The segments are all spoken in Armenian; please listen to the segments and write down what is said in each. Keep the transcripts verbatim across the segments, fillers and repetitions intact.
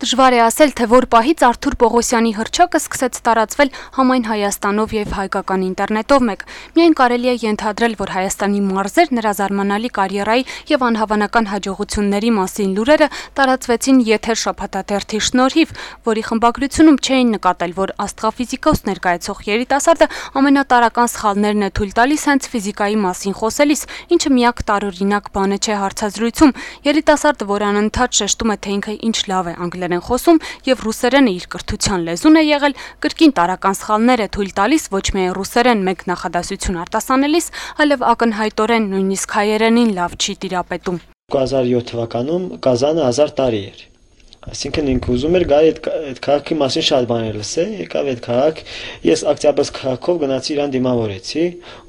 Դժվար է ասել, թե որ պահից Արթուր Պողոսյանի հռչակը սկսեց տարածվել համայն Հայաստանով եւ հայկական ինտերնետով մեկ։ Միայն կարելի է ենթադրել, որ Հայաստանի մարզեր նրա զարմանալի կարիերայի եւ անհավանական հաջողությունների մասին լուրերը տարածվեցին եթեր շաբաթաթերթի շնորհիվ, որի խմբագրությունում չէին նկատել, որ աստղաֆիզիկոս ներկայացող երիտասարդը ամենատարրական սխալներն է թույլ տալիս հենց ֆիզիկայի մասին խոսելիս, ինչը միակ տարօրինակ բանը չէ հարցազրույցում։ Երիտասարդը, որ անընդհատ շեշտում է, թե ինքը ինչ լավ է անգլերեն խոսում եւ ռուսերենը իր կրթության լեզուն է եղել, կրկին տարական սխալներ է թույլ տալիս ոչ միայն ռուսերեն մեկ նախադասություն արտասանելիս, այլև ակնհայտորեն նույնիսկ հայերենին լավ չի տիրապետում։ երկու հազար յոթ թվականում Կազանը հազար տարի էր։ Այսինքն ինքը ուզում էր գալ այդ այդ քաղաքի մասին շատ բաներ լսել, եկավ այդ քաղաք, ես Օկտябрьսկ քաղաքով գնացի իրան դիմավորեցի,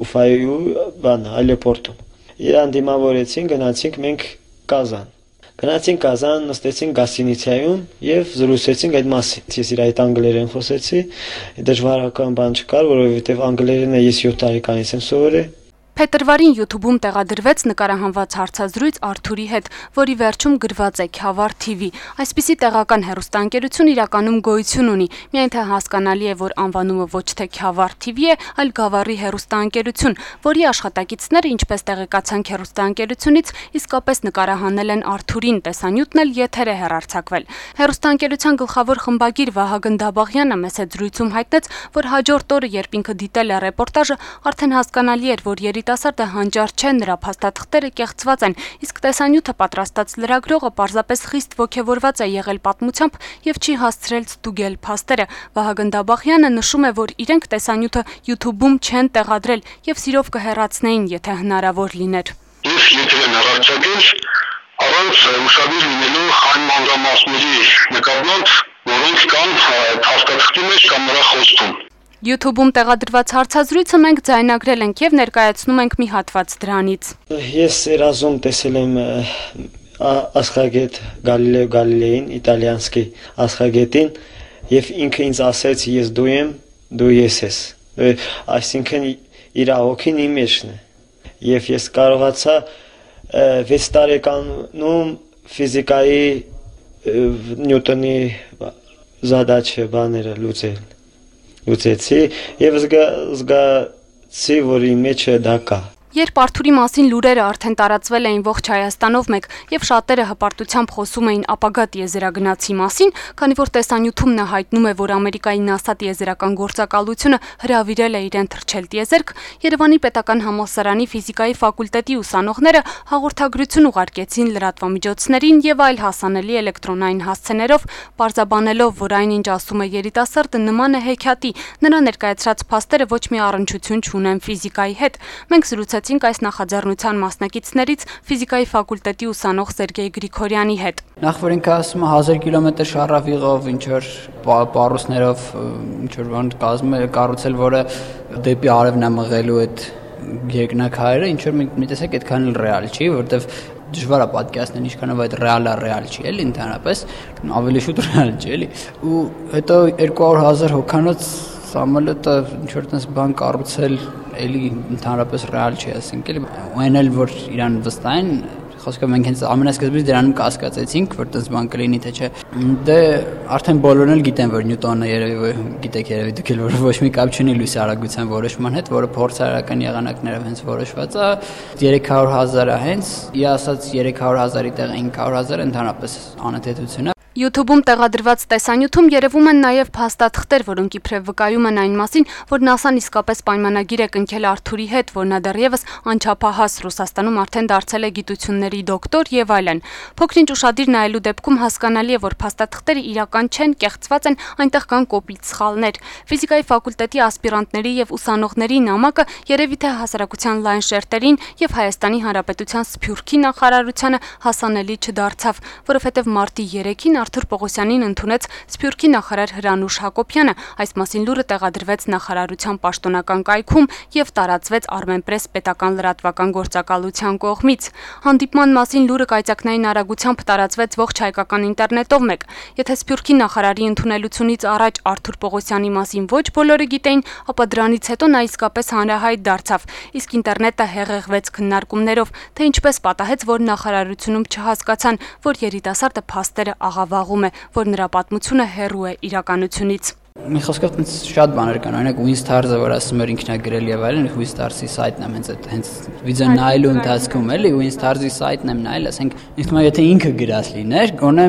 Ուֆայու բան այլեպորտում։ Իրան դիմավորեցին, գնացինք մենք Կազան։ Գնացինք Կազան, նստեցինք գասինիցիայում եւ զրուցեցինք այդ մասին։ Ես իր այդ անգլերեն խոսեցի, դժվարական բան չկար, որովհետեւ անգլերենը ես յոթ տարեկանից եմ սովորել։ Փետրվարին YouTube-ում տեղադրվեց նկարահանված հարցազրույց Արթուրի հետ, որի վերջում գրված է Քյավառ թի վի։ Այսպիսի տեղական հեռուստաընկերություն իրականում գոյություն ունի, միայն թե հասկանալի է, որ անվանումը ոչ թե Քյավառ թի վի է, այլ Գավառի հեռուստաընկերություն, որի աշխատակիցները, ինչպես տեղեկացանք հեռուստաընկերությունից, իսկապես նկարահանել են Արթուրին, տեսանյութն էլ եթեր է հեռարձակվել։ Հեռուստաընկերության գլխավոր խմբագիր Վահագն Դաբաղյանը մեծ զրույցում հայտնեց, որ հաջորդ օրը, երբ ինքը դիտել է ռեպորտաժը, արդեն հասկանալի էր, որ երիտասարդը հանճար չէ, նրա փաստաթղթերը կեղծված են, իսկ տեսանյութը պատրաստած լրագրողը պարզապես խիստ ոգևորված է եղել պատմությամբ եւ չի հասցրել ստուգել փաստերը։ Վահագն Դաբաղյանը նշում է, որ իրենք տեսանյութը YouTube-ում չեն տեղադրել եւ սիրով կհեռացնեին, եթե հնարավոր լիներ։ Ես եթե հեռարձակել առանց ուշադիր լինելու այն մանրամասների նկատմամբ, որոնք կան փաստաթղթի մեջ կամ նրա խոսքում։ YouTube-ում տեղադրված հարցազրույցը մենք ձայնագրել ենք եւ ներկայացնում ենք մի հատված դրանից։ Ես երազում տեսել եմ աստղագետ Գալիլեո Գալիլեին, իտալիանսկի աստղագետին, եւ ինքը ինձ ասեց՝ ես դու եմ, դու ես ես։ Այսինքն իր հոգին իմ մեջն է։ Եվ ես կարողացա վեց տարեկանում ֆիզիկայի Նյուտոնի զադաչը բաները լուծել։ Ուծեցի եւ զգացի, որ իմ մեջը դա կա։ Երբ Արթուրի մասին լուրերը արդեն տարածվել էին ողջ Հայաստանով մեկ եւ շատերը հպարտությամբ խոսում էին ապագա տիեզերագնացի մասին, քանի որ տեսանյութում նա հայտնում է, որ Ամերիկայի NASA տիեզերական գործակալությունը հրավիրել է իրեն թռչել տիեզերք, Երևանի պետական համալսարանի ֆիզիկայի ֆակուլտետի ուսանողները հաղորդագրություն ուղարկեցին լրատվամիջոցներին եւ այլ հասանելի էլեկտրոնային հասցեներով, պարզաբանելով, որ այնինչ ասում է երիտասարդը նման է հեքիաթի, նրա ներկայացրած փաստերը ոչ մի առնչություն չունեն ֆիզիկայի հետ։ Մենք զրուցեցինք այս նախաձեռնության մասնակիցներից ֆիզիկայի ֆակուլտետի ուսանող Սերգեյ Գրիգորյանի հետ։ Նախ որ ինքը ասում է հազար կիլոմետր շարավիղով, ինչ որ պարուսներով, ինչ որ բան կառուցել, որը դեպի արևն է մղելու այդ երկնաքարերը, ինչ որ մի տեսակ այդքան էլ ռեալ չի, որովհետև դժվար է պատկերացնել ինչքանով այդ ռեալը ռեալ չի, էլի ընդհանրապես, ավելի շուտ ռեալ չի, էլի։ Ու հետո երկու հարյուր հազար հոգանոց Սամոլետը ինչ որ տես բան կառուցել էլի ընդհանրապես ռեալ չի, ասենք էլի այն էլ որ իրան վստահեն, խոսքը մենք հենց ամենասկզբից դրանում կասկածեցինք, որ տես բան կլինի թե չէ։ Դե արդեն բոլորն էլ գիտեն, որ Նյուտոնը երևի գիտեք երևի դուք էլ որ ոչ մի կապ չունի լույսի արագության որոշման հետ, որը փորձարարական եղանակներով հենց որոշված է, երեք հարյուր հազարը հենց, ի ասած երեք հարյուր հազարի տեղ ինը հարյուր հազար ընդհանրապես անընդհատություն է։ YouTube-ում տեղադրված տեսանյութում երևում են նաև փաստաթղթեր, որոնք իբրև վկայում են այն մասին, որ NASA-ն իսկապես պայմանագիր է կնքել Արթուրի հետ, որ նա դեռևս անչափահաս Ռուսաստանում արդեն դարձել է գիտությունների դոկտոր եւ այլն։ Փոքրինչ ուշադիր նայելու դեպքում հասկանալի է, որ փաստաթղթերը իրական չեն, կեղծված են, այնտեղ կան կոպիտ սխալներ։ Ֆիզիկայի ֆակուլտետի ասպիրանտների եւ ուսանողների նամակը երևի թե հասարակության լայն շերտերին եւ Հայաստանի Հանրապետության Սփյուռքի նախարարությանը հասանելի չդարձավ, որովհետեւ մարտի երեքին Արթուր Պողոսյանին ընդունեց Սփյուռքի նախարար Հրանուշ Հակոբյանը։ Այս մասին լուրը տեղադրվեց նախարարության պաշտոնական կայքում եւ տարածվեց Armenpress պետական լրատվական գործակալության կողմից։ Հանդիպման մասին լուրը կայծակնային արագությամբ տարածվեց ողջ հայկական ինտերնետով մեկ։ Եթե Սփյուռքի նախարարի ընդունելությունից առաջ Արթուր Պողոսյանի մասին ոչ բոլորը գիտեին, ապա դրանից հետո նա իսկապես հանրահայտ դարձավ, իսկ ինտերնետը հեղեղվեց քննարկումներով, թե ինչպես պատահեց, որ նախարարությունում չհասկացան, որ երիտասարդը փաստերը աղավաղ վաղում է, որ նրա պատմությունը հեռու է իրականությունից։ Մի խոսքով ինձ շատ բաներ կան, օրինակ Winstars-ը, որ ասում էր ինքն է գրել եւ այլն, Winstars-ի սայթն եմ հենց այդ հենց վիդեո նայելու ընթացքում էլի Winstars-ի սայթն եմ նայել, ասենք ինձ թվում է եթե ինքը գրած լիներ, գոնե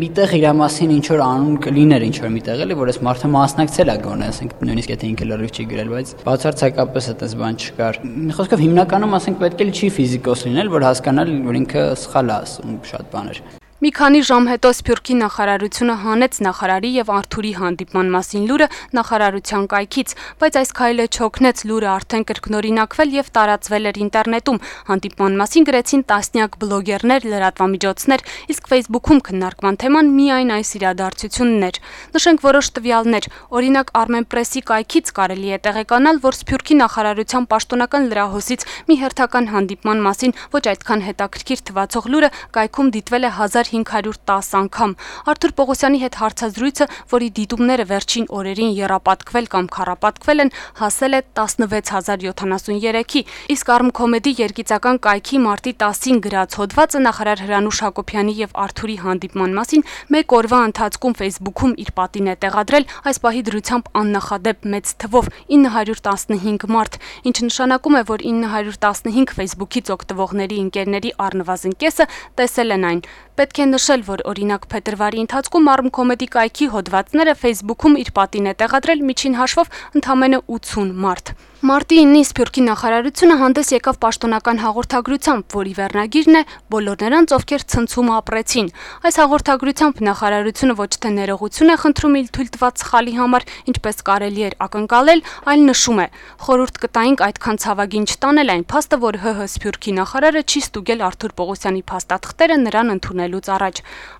միտեղ իր մասին ինչ որ անուն կլիներ ինչ որ միտեղ էլի, որ այս մարդը մասնակցել է գոնե, ասենք նույնիսկ եթե ինքը լրիվ չի գրել, բայց բացարձակապես այդպես բան չկար։ Մի խոսքով հիմնականում ասենք պետք է չի ֆիզիկոս լինել, որ հասկանալ, որ ինքը սխալ է ասում շատ բաներ։ Մի քանի ժամ հետո Սփյուռքի նախարարությունը հանեց նախարարի եւ Արթուրի հանդիպման մասին լուրը նախարարության կայքից, բայց այս քայլը չօգնեց, լուրը արդեն կրկնօրինակվել եւ տարածվել էր ինտերնետում։ Հանդիպման մասին գրեցին տասնյակ բլոգերներ, լրատվամիջոցներ, իսկ Facebook-ում քննարկման թեման միայն այս իրադարձությունն էր։ Նշենք որոշ տվյալներ, օրինակ Armenpress-ի կայքից կարելի է տեղեկանալ, որ Սփյուռքի նախարարության պաշտոնական լրահոսից մի հերթական հանդիպման մասին ոչ այդքան հետաքրքիր թվացող լուրը կայքում դիտվել է հազար հինգ հարյուր տասը անգամ։ Արթուր Պողոսյանի հետ հարցազրույցը, որի դիտումները վերջին օրերին եռապատկվել կամ քառապատկվել են, հասել է տասնվեց հազար յոթանասուներեքի, իսկ Armcomedy երգիծական կայքի մարտի տասին գրած հոդվածը նախարար Հրանուշ Հակոբյանի եւ Արթուրի հանդիպման մասին մեկ օրվա ընթացքում Facebook-ում իր պատին է տեղադրել այս պահի դրությամբ աննախադեպ մեծ թվով ինը հարյուր տասնհինգ մարդ, ինչը նշանակում է, որ ինը հարյուր տասնհինգ Facebook-ից օգտվողների ընկերների առնվազն կեսը տեսել են այն։ Պետք է նշել, որ օրինակ փետրվարի ընթացքում Armcomedy կայքի հոդվածները Facebook-ում իր պատին է տեղադրել միջին հաշվով ընդամենը ութուն մարդ։ Մարտի ինին Սփյուռքի նախարարությունը հանդես եկավ պաշտոնական հաղորդագրությամբ, որի վերնագիրն է «Բոլոր նրանց, ովքեր ցնցում ապրեցին»։ Այս հաղորդագրությամբ նախարարությունը ոչ թե ներողություն է խնդրում իր թույլ տված սխալի համար, ինչպես կարելի էր ակնկալել, այլ նշում է. «Խորհուրդ կտայինք այդքան ցավագին չտանել այն փաստը, որ ՀՀ Սփյուռքի նախարարը չի ստուգել Արթուր Պողոսյանի փաստաթղթերը նրան ընդունելուց առաջ»։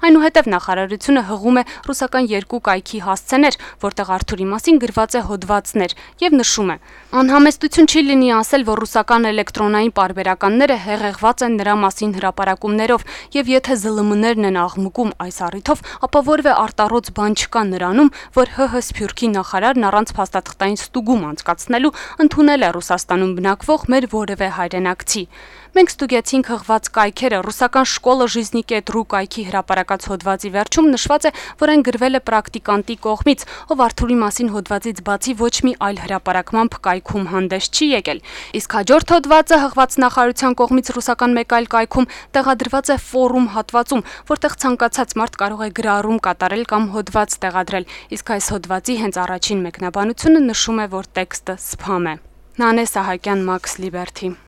Այնուհետև նախարարությունը հղում է ռուսական երկու կայքի հասցեներ, որտեղ Արթուրի մասին գրված է հոդվածներ, եւ նշում է. «Անհամեստություն չի լինի ասել, որ ռուսական էլեկտրոնային պարբերականները հեղեղված են նրա մասին հրապարակումներով, եւ եթե ԶԼՄ-ներն են աղմկում այս առիթով, ապա որևէ արտառոց բան չկա նրանում, որ ՀՀ Սփյուռքի նախարարն առանց փաստաթղթային ստուգում անցկացնելու ընդունել է Ռուսաստանում բնակվող մեր որևէ հայրենակցի։ Մենք ստուգեցինք հղված կայքերը, ռուսական շկոլը Ժիզնիկետ.ru կայքի հրապարակած հոդվածի վերջում նշված է, որ այն գրվել է պրակտիկանտի կողմից, ով Արթուրի մասին հոդվածից բացի ոչ մի այլ հրապարակմամբ կայքում հանդես չի եկել։ Իսկ հաջորդ հոդվածը հղված նախարարության կողմից ռուսական մեկ այլ կայքում տեղադրված է ֆորում հատվածում, որտեղ ցանկացած մարդ կարող է գրառում կատարել կամ հոդված տեղադրել, իսկ այս հոդվածի հենց առաջին մեկնաբանությունը նշում է, որ տեքստը սփամ է։ Նանե Սահակյան, Max Liberty։